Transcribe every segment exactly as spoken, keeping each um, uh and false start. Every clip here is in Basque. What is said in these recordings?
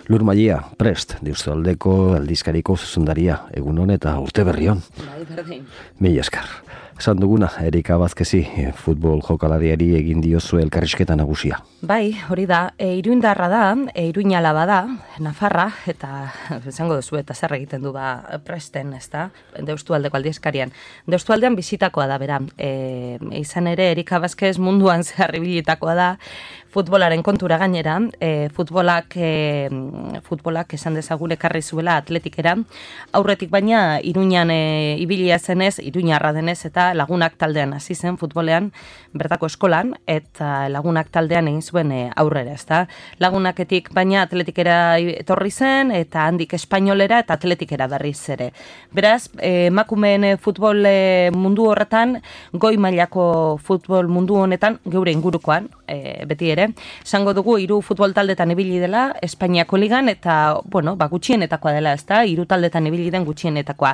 Lur Maia, prest, Deustualdeko aldizkariko zuzundaria, egun hon eta urte berrion. Bai, berdin. Mila esker. Esan duguna, Erika Bazkezi, futbol jokalariari egin diozu elkarrizketa nagusia. Bai, hori da, e, iruindarra da, e, iruinalaba da, Nafarra, eta esango duzu eta zer egiten du ba presten, ez da, Deustualdeko aldizkarian. Deustualdean bizitakoa da, bera. E, izan ere, Erika Bazkez munduan zehar ibilitakoa da, futbolaren kontura gainera, e, futbolak, e, futbolak esan dezagun ekarri zuela atletikera, aurretik baina Iruñan e, ibilia zenez, Iruñarra denez, eta lagunak taldean hasi zen futbolean, bertako eskolan, eta lagunak taldean egin zuen e, aurrera, ezta? Lagunaketik baina atletikera etorri zen, eta handik espainolera eta atletikera berriz ere. Beraz, e, emakumeen futbol e, mundu horretan, goi mailako futbol mundu honetan, geure ingurukoan, e, beti ere, esango dugu hiru futbol taldetan ibili dela Espainiako ligan eta bueno, ba gutxienetakoa dela, ezta? Hiru taldetan ibili den gutxienetakoa.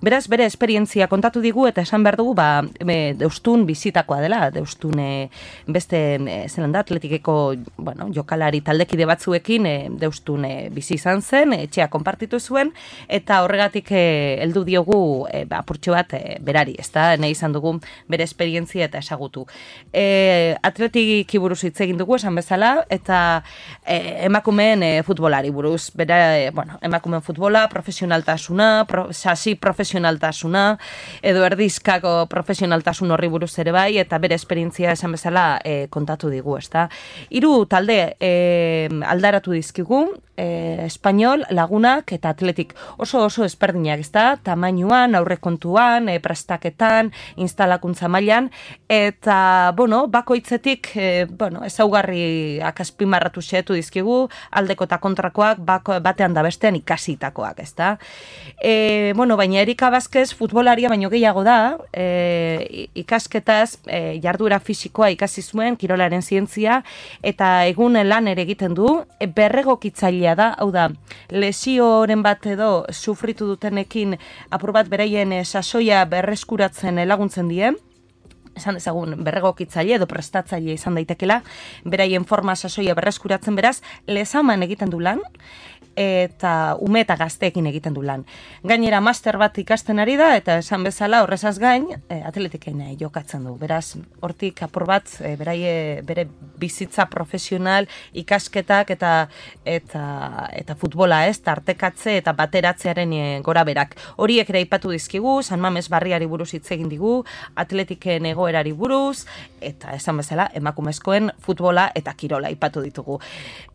Beraz, bere esperientzia kontatu digu eta esan behar dugu ba e, Deustun bizitakoa dela. Deustun e, beste e, zelan da atletikeko, bueno, jokalari taldekide batzuekin e, Deustun e, bizi izan zen, etxea konpartitu zuen eta horregatik e, heldu diogu e, ba apurtxo bat e, berari, ezta? Nahi izan dugu bere esperientzia eta esagutu. E, atletiki buruz hitz egin dugu esan bezala, eta e, emakumeen e, futbolari buruz. Bera, e, bueno, emakumeen futbola, profesionaltasuna, pro, sasi profesionaltasuna, edo erdizkako profesionaltasun horri buruz ere bai, eta bere esperientzia esan bezala e, kontatu digu, ezta. Hiru talde e, aldaratu dizkigu, e, Espainol, Lagunak eta Atletik. Oso oso ezberdinak, ezta? Tamainuan, aurrekontuan, e, prestaketan, instalakuntza mailan, eta, bueno, bakoitzetik, e, bueno, ezaugarriak azpimarratu xeetu dizkigu, aldeko eta kontrakoak bako, batean da bestean ikasitakoak, ezta? E, bueno, baina Erika Bazkez futbolaria baino gehiago da, e, ikasketaz, e, jarduera fisikoa ikasi zuen, kirolaren zientzia, eta egun lan ere egiten du, e, berregokitzailea da, hau da, lesioren bat edo sufritu dutenekin apur bat beraien e, sasoia berreskuratzen laguntzen die, esan dezagun berregokitzaile edo prestatzaile izan daitekela, beraien forma sasoia berreskuratzen beraz, lezaman egiten du lan, eta ume eta gazteekin egiten du lan. Gainera master bat ikasten ari da, eta esan bezala horrezaz gain, e, atletikein jokatzen du. Beraz, hortik apur bat, e, beraie, bere bizitza profesional, ikasketak eta eta eta futbola ez, tartekatze eta bateratzearen e, gora berak. Horiek ere aipatu dizkigu, San Mames barriari buruz hitz egin digu, atletiken egoerari buruz, eta esan bezala, emakumezkoen futbola eta kirola aipatu ditugu.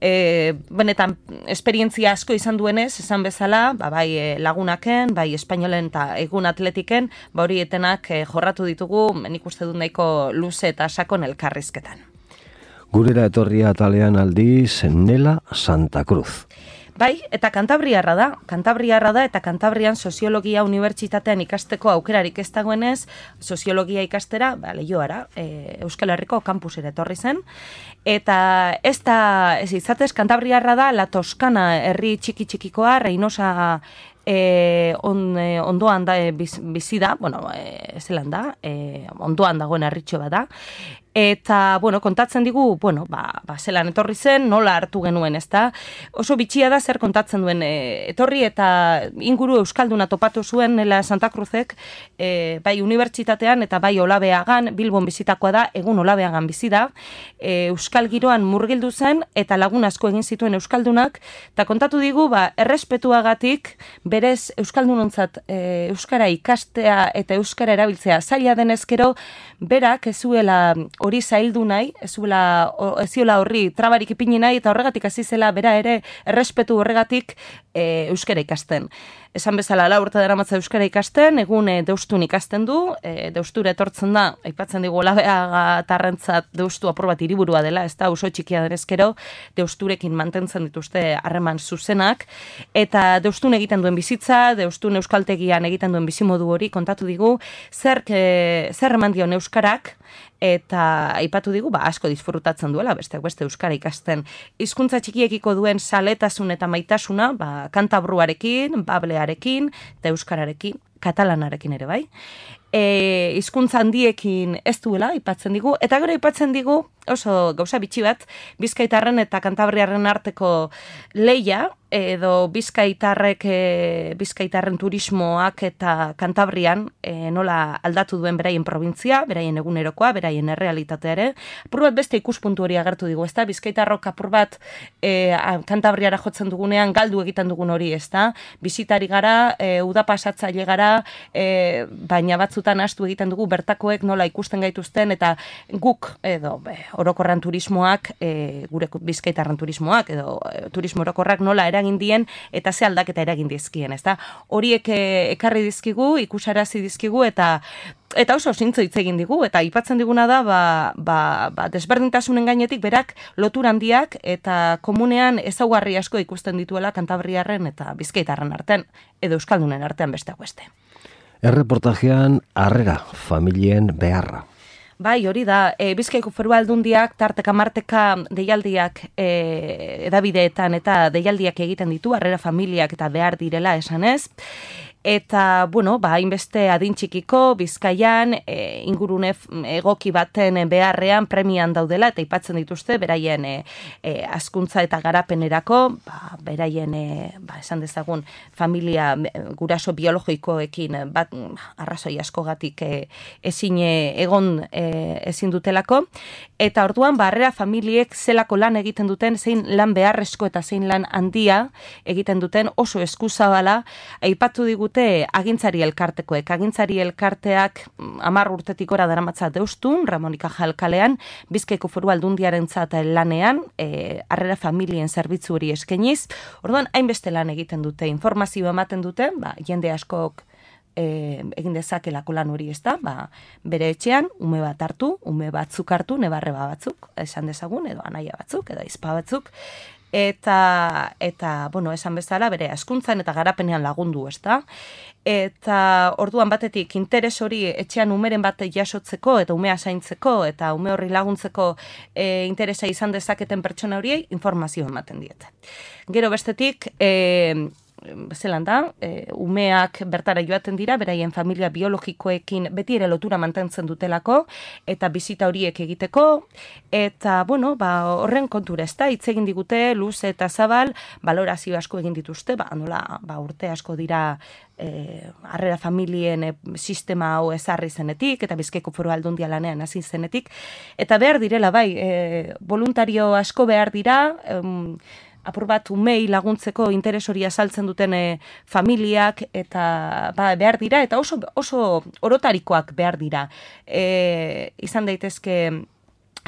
E, benetan, esperientzia asko izan duenez, esan bezala, ba, bai e, Lagunaken, bai Espainolen eta egun Atletiken, ba horietenak e, jorratu ditugu, nik uste dut nahiko luze eta sakon elkarrizketan. Gurera etorria atalean aldiz, Nela Santa Cruz. Bai, eta Kantabriarra da, Kantabriarra da, eta Kantabrian soziologia unibertsitatean ikasteko aukerarik ez dagoenez, soziologia ikastera, ba, Leioara, e, Euskal Herriko kampusera etorri zen, eta ez da, ez izatez, Kantabriarra da, La Toskana herri txiki-txikikoa, Reynosa E, on, e, ondoan da e, biz, bizi da, bueno, e, zelan da, e, ondoan dagoen herritxo bat da, eta, bueno, kontatzen digu, bueno, ba, ba, zelan etorri zen, nola hartu genuen, ez da, oso bitxia da zer kontatzen duen, e, etorri eta inguru euskalduna topatu zuen Nela Santa Cruzek, e, bai unibertsitatean eta bai Olabeagan, Bilbon bizitakoa da, egun Olabeagan bizi da, e, euskal giroan murgildu zen, eta lagun asko egin zituen euskaldunak, eta kontatu digu, ba, errespetuagatik, berez euskaldunontzat e, euskara ikastea eta euskara erabiltzea zaila denezkero, berak ez zuela hori zaildu nahi, ez zuela ez ziola horri trabarik ipini nahi, eta horregatik hasi zela bera ere errespetu horregatik e, euskara ikasten. Esan bezala lau urte daramatza euskara ikasten, egun e, Deustun ikasten du, e, Deustura etortzen da, aipatzen digu Olabeaga tarrentzat Deustu apur bat hiriburua dela, ez da oso txikia denezkero, Deusturekin mantentzen dituzte harreman zuzenak, eta Deustun egiten duen bizitza, Deustun euskaltegian egiten duen bizimodu hori kontatu digu, zer, e, zer eman dion euskarak, eta aipatu digu, ba, asko disfrutatzen duela, besteak beste euskara ikasten. Hizkuntza txikiekiko duen saletasun eta maitasuna, ba, kantabruarekin, bablearekin, eta euskararekin, katalanarekin ere bai. E, hizkuntza handiekin ez duela, aipatzen digu, eta gero aipatzen digu, oso gauza bitxi bat, Bizkaitarren eta Kantabriarren arteko leia, edo Bizkaitarrek, e, Bizkaitarren turismoak eta Kantabrian e, nola aldatu duen beraien probintzia, beraien egunerokoa, beraien errealitatea ere. Apur bat beste ikuspuntu hori agertu digu, ezta? Bizkaitarrok apur bat e, Kantabriara jotzen dugunean galdu egiten dugun hori, ezta? Bizitari gara, e, uda pasatzaile gara, e, baina batzutan astu egiten dugu bertakoek nola ikusten gaituzten, eta guk, edo, be, orokorran turismoak, e, gure Bizkaitarren turismoak, edo e, turismo orokorrak nola eragin dien eta ze aldaketa eragin dizkien, ezta? Horiek ekarri dizkigu, ikusarazi dizkigu eta eta oso zintzo hitz egin digu eta aipatzen diguna da ba, ba, ba desberdintasunen gainetik berak lotura handiak eta komunean ezaugarri asko ikusten dituela Kantabriarren eta Bizkaitarren artean edo euskaldunen artean besteak beste. Erreportajean harrera familien beharra. Bai, hori da, e, Bizkaiko Foru Aldundiak tarteka marteka deialdiak e, edabideetan eta deialdiak egiten ditu, harrera familiak eta behar direla esanez. Eta, bueno, ba, hainbeste adin txikiko, Bizkaian, e, ingurune egoki baten beharrean premian daudela, eta aipatzen dituzte, beraien e, e, hazkuntza eta garapenerako, ba, beraien, e, ba, esan dezagun, familia guraso biologikoekin, bat, arrazoi askogatik e, ezin egon e, ezin dutelako, eta orduan, barrera familiek zelako lan egiten duten, zein lan beharrezko eta zein lan handia egiten duten oso eskuzabala, aipatu digut agintzari elkartekoek. Agintzari elkarteak hamar urtetik gora daramatza Deustun, Ramonika Jalkalean, Bizkaiko Foru Aldundiarentzat lanean, e, harrera familien zerbitzu hori eskainiz. Orduan, hainbeste lan egiten dute, informazioa ematen dute, ba, jende askok e, egin dezakelako lan hori, ez da, ba, bere etxean, ume bat hartu, ume batzuk hartu, nebarreba batzuk, esan dezagun, edo anaia batzuk, edo izpa batzuk, eta, eta bueno, esan bezala, bere hazkuntzan eta garapenean lagundu, ezta? Eta orduan batetik interes hori etxean umeren bat jasotzeko eta umea zaintzeko eta ume horri laguntzeko e, interesa izan dezaketen pertsona horiei informazio ematen diete. Gero bestetik, e, zelan da, e, umeak bertara joaten dira, beraien familia biologikoekin beti ere lotura mantentzen dutelako, eta bizita horiek egiteko, eta, bueno, ba, horren kontura ez da, hitz egin digute, luz eta zabal, balorazio asko egin dituzte, ba, nola, ba, urte asko dira, E, harrera familien e, sistema hau ezarri zenetik, eta Bizkaiko Foru Aldundia lanean hasi zenetik, eta behar direla, bai, e, voluntario asko behar dira, em, apur bat umei laguntzeko interes hori azaltzen duten e, familiak, eta ba, behar dira, eta oso, oso orotarikoak behar dira. E, izan daitezke,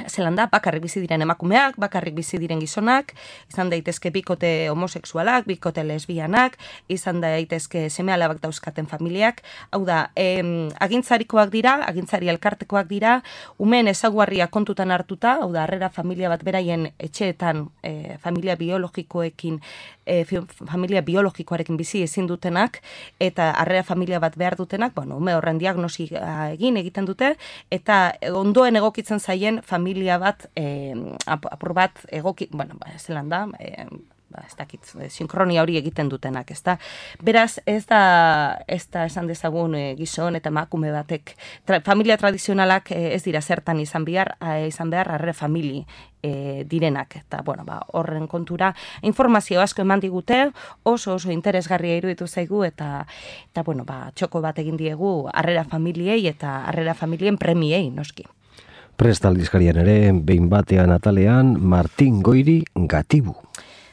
zelan da, bakarrik bizi diren emakumeak, bakarrik bizi diren gizonak, izan daitezke bikote homosexualak, bikote lesbianak, izan daitezke seme-alabak dauzkaten familiak, hau da, em, agintzarikoak dira, agintzari elkartekoak dira, umeen ezaguarria kontutan hartuta, hau da, harrera familia bat beraien etxeetan, e, familia biologikoekin, e, familia biologikoarekin bizi ezin dutenak, eta harrera familia bat behar dutenak, bueno, ume horren diagnosi egin egiten dute, eta ondoen egokitzen zaien familia familia bat, eh, apur bat egoki, bueno, ba, zelan da, eh, ba, ez dakit, sinkronia hori egiten dutenak, ez da. Beraz, ez da, ez da esan dezagun e, gizon eta emakume batek, tra, familia tradizionalak e, ez dira zertan izan behar, a, izan behar harre famili e, direnak, eta, bueno, ba, horren kontura, informazio asko eman digute, oso oso interesgarria iruditu zaigu, eta, eta bueno, ba, txoko bat egin diegu harrera familiei eta harrera familien premiei, noski. Prest aldizkarian ere, behin batean atalean, Martin Goiri Gatibu.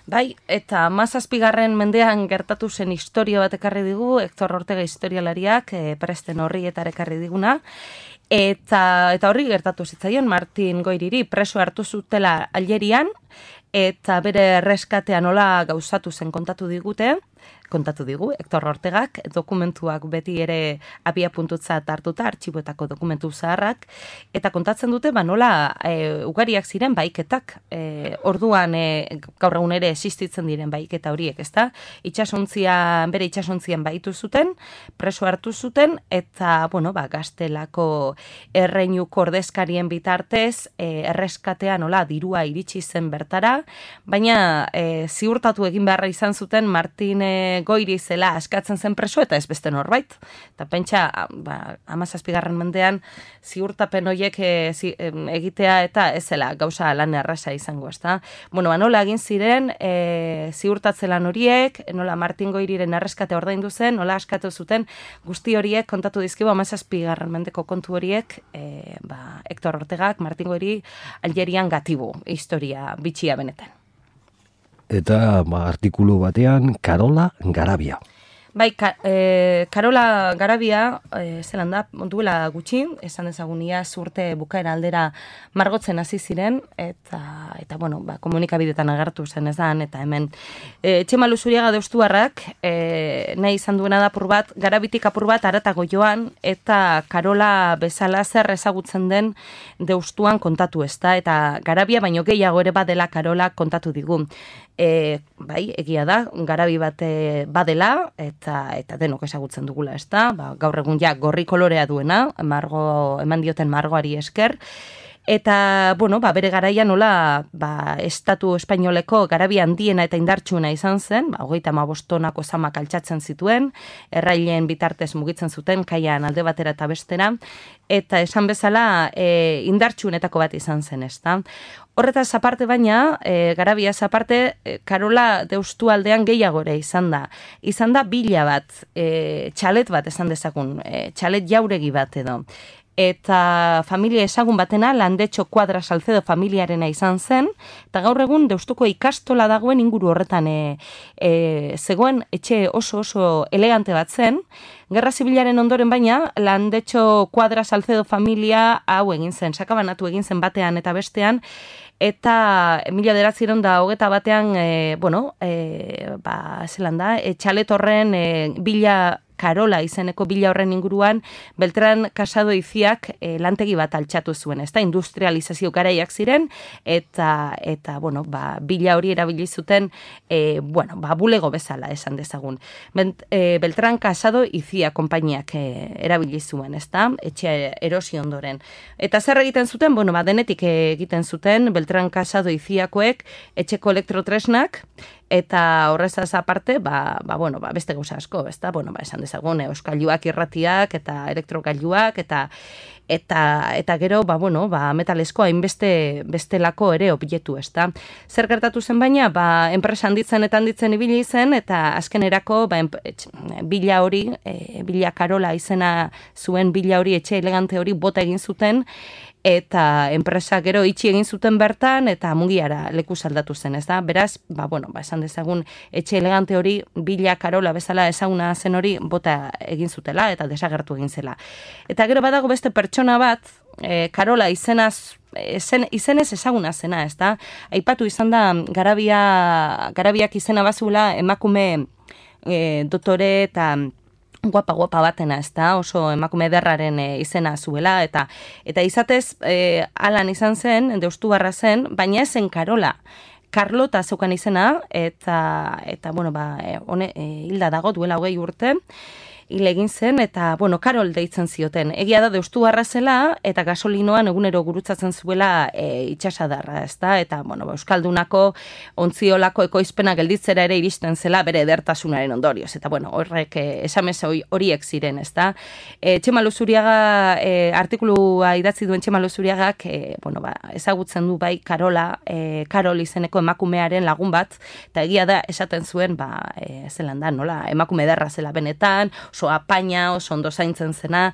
Bai, eta mazazpigarren mendean gertatu zen historia bat ekarri digu, Hector Ortega historialariak, e, presten horri eta ekarri diguna, eta, eta horri gertatu zitzaion Martin Goiriri preso hartu zutela Algerian, eta bere reskatea nola gauzatu zen kontatu digute, kontatu digu, Hector Ortegak, dokumentuak beti ere abia puntutzat hartuta, artxiboetako dokumentu zaharrak, eta kontatzen dute, ba, nola e, ugariak ziren baiketak, e, orduan e, gaur egun ere existitzen diren baiketa horiek, ezta? Itxasontzian, bere itxasontzian baitu zuten, preso hartu zuten, eta, bueno, ba, gaztelako erreinuko ordezkarien bitartez, e, erreskatea nola dirua iritsi zen bertara, baina e, ziurtatu egin beharra izan zuten Martin e, Goiri zela askatzen zen preso eta ez beste norbait. Eta pentsa, ba, hamazazpigarren mendean ziurtapen horiek e, zi, e, egitea eta ez zela gauza lan erraza izango, ezta? Bueno, ba, nola egin ziren e, ziurtatze lan horiek, nola Martin Goiriren erreskate ordaindu zen, nola askatu zuten guzti horiek kontatu dizkigu hamazazpigarren mendeko kontu horiek, e, ba, Hector Ortegak, Martin Goiri, Algerian gatibu, historia bitxia benetan. Eta ba, artikulu batean, Karola Garabia. Bai, ka, e, Karola Garabia, e, zelan da, duela gutxi, esan dezagunia zurte bukaera aldera margotzen hasi ziren, eta, eta bueno, ba, komunikabidetan agertu zen ez da, eta hemen. E, Txemalu Zuriaga deustuarrak, e, nahi izan duena da apur bat, Garabitik apur bat aratago joan, eta Karola bezala zer ezagutzen den deustuan kontatu ez da, eta Garabia baino gehiago ere badela Karola kontatu digu. E, bai, egia da, garabi bat badela, eta eta denok ezagutzen dugula, ez da, ba, gaur egun ja gorri kolorea duena, margo, eman dioten margoari esker, eta, bueno, ba, bere garaian nola, ba, estatu espainoleko garabi handiena eta indartsuna izan zen, ba, hogeita hamabostonako zamak altxatzen zituen, errailen bitartez mugitzen zuten, kaian alde batera eta bestera, eta esan bezala e, indartsunetako bat izan zen, ez da. Horretaz aparte baina, e, Garabiaz aparte, e, Karola deustu aldean gehiago ere izan da. Izan da bila bat, e, txalet bat esan dezagun, e, txalet jauregi bat edo. Eta familia ezagun batena, Landetxo Kuadra Salcedo familiarena izan zen, eta gaur egun deustuko ikastola dagoen inguru horretan e, e, zegoen etxe oso oso elegante bat zen. Gerra Zibilaren ondoren baina, Landetxo Kuadra Salcedo familia hau egin zen, sakabanatu egin zen batean eta bestean, eta mila bederatziehun eta hogeta batean, e, bueno, e, ba, zelan da, e, txalet horren e, bila Karola izeneko bila horren inguruan, Beltran Casado Iziak e, lantegi bat altxatu zuen, ez da, industrializazio garaiak ziren, eta, eta bueno, ba, bila hori erabili zuten, e, bueno, ba, bulego bezala esan dezagun. Bent, e, Beltran Casado Izia konpainiak e, erabili zuen, ez da, etxe erosi ondoren. Eta zer egiten zuten, bueno, ba, denetik egiten zuten, Beltran Casado Iziakoek etxeko elektrotresnak, eta horrezaz aparte, ba, ba, bueno, ba, beste gauza asko, ezta? Bueno, ba, esan dezagun, euskailuak, irratiak eta elektrogailuak eta eta eta gero, ba, bueno, ba, metalesko hainbeste bestelako ere objektu, ezta? Zer gertatu zen baina, ba, enpresa handitzen eta handitzen ibili zen eta azkenerako, ba, bila hori, e, bila Karola izena zuen bila hori, etxe elegante hori bota egin zuten, eta enpresa gero itxi egin zuten bertan, eta mugiara leku saldatu zen, ez da? Beraz, ba, bueno, ba, esan dezagun, etxe elegante hori, bila Karola bezala ezaguna zen hori, bota egin zutela, eta desagertu egin zela. Eta gero badago beste pertsona bat, e, Karola izenaz, Izen, izenez ezaguna zena, ez da? Aipatu izan da, garabia, garabiak izena bazula emakume e, dotore eta guapa-guapa batena, ez da? Oso emakume ederraren e, izena zuela, eta eta izatez, e, alan izan zen, deustubarra zen, baina ezen Karola. Carlota zeukan izena, eta, eta bueno, ba, e, one, e, hilda dago duela hogei urte, hil egin zen, eta, bueno, Karol deitzen zioten. Egia da, deustubarra zela, eta gasolinoan egunero gurutzatzen zuela e, itxasadarra, ez da? Eta, bueno, euskaldunako, ontziolako ekoizpena gelditzera ere iristen zela bere edertasunaren ondorioz. Eta, bueno, horrek e, esamez horiek ziren, ez da? E, Txemalu Zuriaga, e, artikulua idatzi duen Txemalu Zuriagak, e, bueno, ba, ezagutzen du bai Karola, e, Karol izeneko emakumearen lagun bat, eta egia da, esaten zuen, ba, e, zelan da, nola, emakume ederra zela benetan, oso apaina, oso ondo zaintzen zena,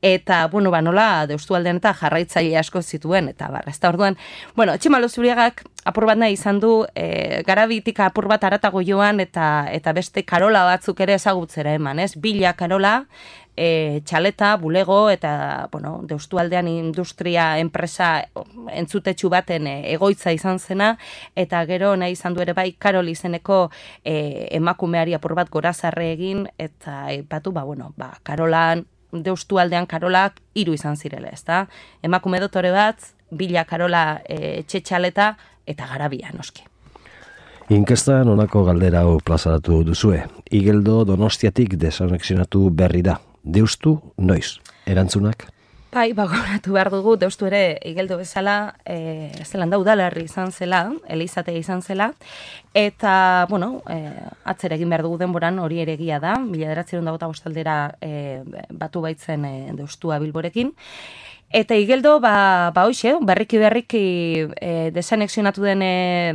eta, bueno, ba, nola, deustualdean eta jarraitzaile asko zituen, eta bar, ez da orduan, bueno, Txemalu Zuriagak apur bat nahi izan du, e, Garabitik apur bat aratago joan, eta eta beste Karola batzuk ere ezagutzera eman, ez? Bila Karola, e, txaleta, bulego, eta, bueno, deustualdean industria enpresa entzutetxu baten e, egoitza izan zena, eta gero nahi izan du ere bai Karol izeneko e, emakumeari apur bat gorazarre egin, eta epatu, ba, bueno, ba, Karolan, deustualdean Karolak hiru izan zirela, ez da? Emakume dotore bat, bila Karola e, txetxaleta, eta Garabia, noski. Inkestan honako galdera hau plazaratu duzue. Igeldo Donostiatik desanexionatu berri da. Deustu, noiz? Erantzunak? Bai, bagoratu behar dugu, deustu ere, igeldo bezala, e, zelan da udalerri izan zela, elizatea izan zela, eta, bueno, e, atzera egin behar dugu denboran, hori ere egia da, mila bederatziehun eta hogeita bostaldera e, batu baitzen e, deustua Bilborekin, eta igeldo, ba, ba hoxe, berriki berriki e, desanexionatu den, e,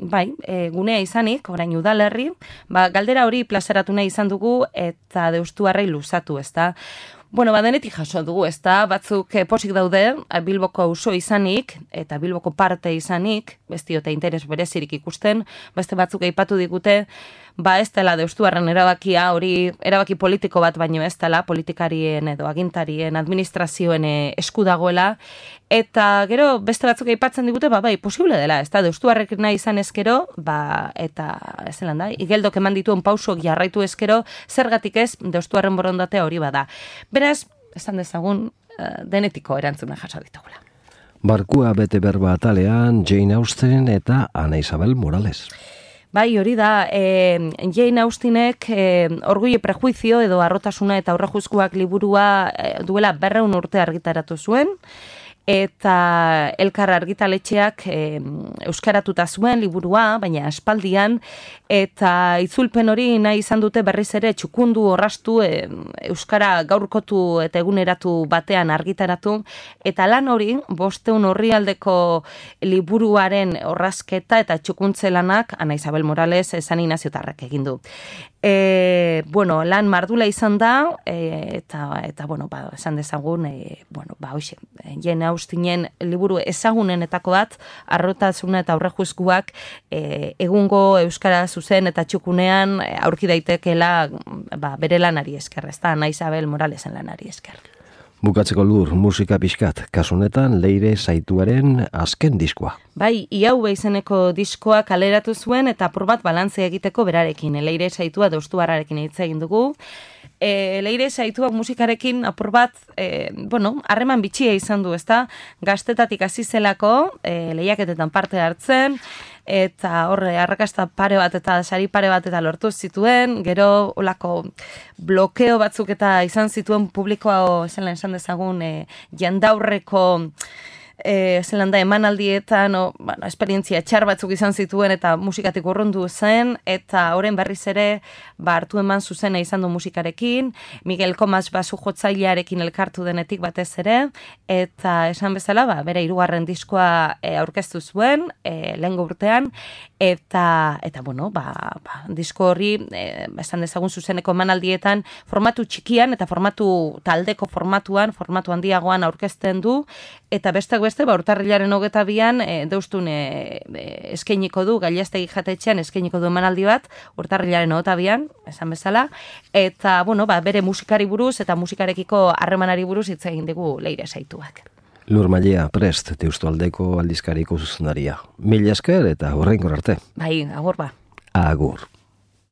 bai, e, gunea izanik, orain udalerri, ba, galdera hori plazaratu nahi izan dugu, eta deustuarrei luzatu, ezta. Bueno, badenetik jaso dugu, ez da, batzuk eh, posik daude, Bilboko auzo izanik, eta Bilboko parte izanik, ez diote interes berezirik ikusten, beste batzuk aipatu digute, ba ez dela deustuarren erabakia, hori erabaki politiko bat baino ez dela, politikarien edo agintarien, administrazioen eh, esku dagoela, eta gero beste batzuk aipatzen digute, ba bai, posible dela, ez da, deustuarrek nahi izan ezkero, ba, eta ez zelan da, igeldok eman dituen pausok jarraitu ezkero, zergatik ez, deustuarren borondatea hori bada. Beraz, esan dezagun, uh, denetiko erantzuna jaso ditugula. Barkua bete berba atalean Jane Austen eta Ana Isabel Morales. Bai, hori da, e, Jane Austenek e, Orgullo y Prejuicio edo Arrotasuna eta Aurrejuzkoak liburua e, duela berrehun urte argitaratu zuen, eta Elkar argitaletxeak e, euskaratuta zuen liburua, baina aspaldian, eta itzulpen hori nahi izan dute berriz ere txukundu orrastu e, euskara gaurkotu eta eguneratu batean argitaratu, eta lan hori bosteun orrialdeko liburuaren orrazketa eta txukuntze lanak Ana Isabel Morales San Inaziotarrak egin du. E, bueno, lan mardula izan da, e, eta, eta bueno, ba, esan dezagun, e, bueno, ba, hoxe, Jane Austenen liburu ezagunenetako bat, Arrotasuna eta Aurrejuzkoak e, egungo euskara zuzen eta txukunean e, aurki daitekela ba, bere lanari esker, ez da, Ana Isabel Moralesen lanari esker. Bukatzeko lur, musika pixkat, kasunetan Leire Saituaren azken diskoa. Bai, Iau izeneko diskoa kaleratu zuen eta apur bat balantzea egiteko berarekin. Leire Saitua deustuarrarekin hitz egin dugu. E, Leire Saituak musikarekin apur bat, e, bueno, harreman bitxia izan du, ezta? Gaztetatik hasi zelako, e, lehiaketetan parte hartzen, eta horre, arrakasta pare bat eta sari pare bat eta lortu zituen, gero olako blokeo batzuk eta izan zituen publikoa, zelan esan dezagun, e, jandaurreko e, zelan da emanaldietan, o, bueno, esperientzia txar batzuk izan zituen eta musikatik urrundu zen, eta horren berriz ere ba, hartu eman zuzena izan du musikarekin, Miguel Comas basu jotzailearekin elkartu denetik batez ere, eta esan bezala, ba, bere hirugarren diskoa e, aurkeztu zuen, e, lehengo urtean, eta, eta bueno, ba, ba, disko horri, e, esan dezagun zuzeneko emanaldietan, formatu txikian eta formatu taldeko formatuan, formatu handiagoan aurkezten du, eta besteak beste, ba, urtarrilaren hogeta bian, e, deustun e, e, eskainiko du, Gailastegi jatetxean eskainiko du emanaldi bat, urtarrilaren hogeta bian, esan bezala, eta, bueno, ba, bere musikari buruz eta musikarekiko harremanari buruz hitz egin digu Leire Saituak. Lur Mailea prest, Deustualdeko aldizkariko zuzendaria. Mila esker eta horrein arte. Bai, agur ba. Agur.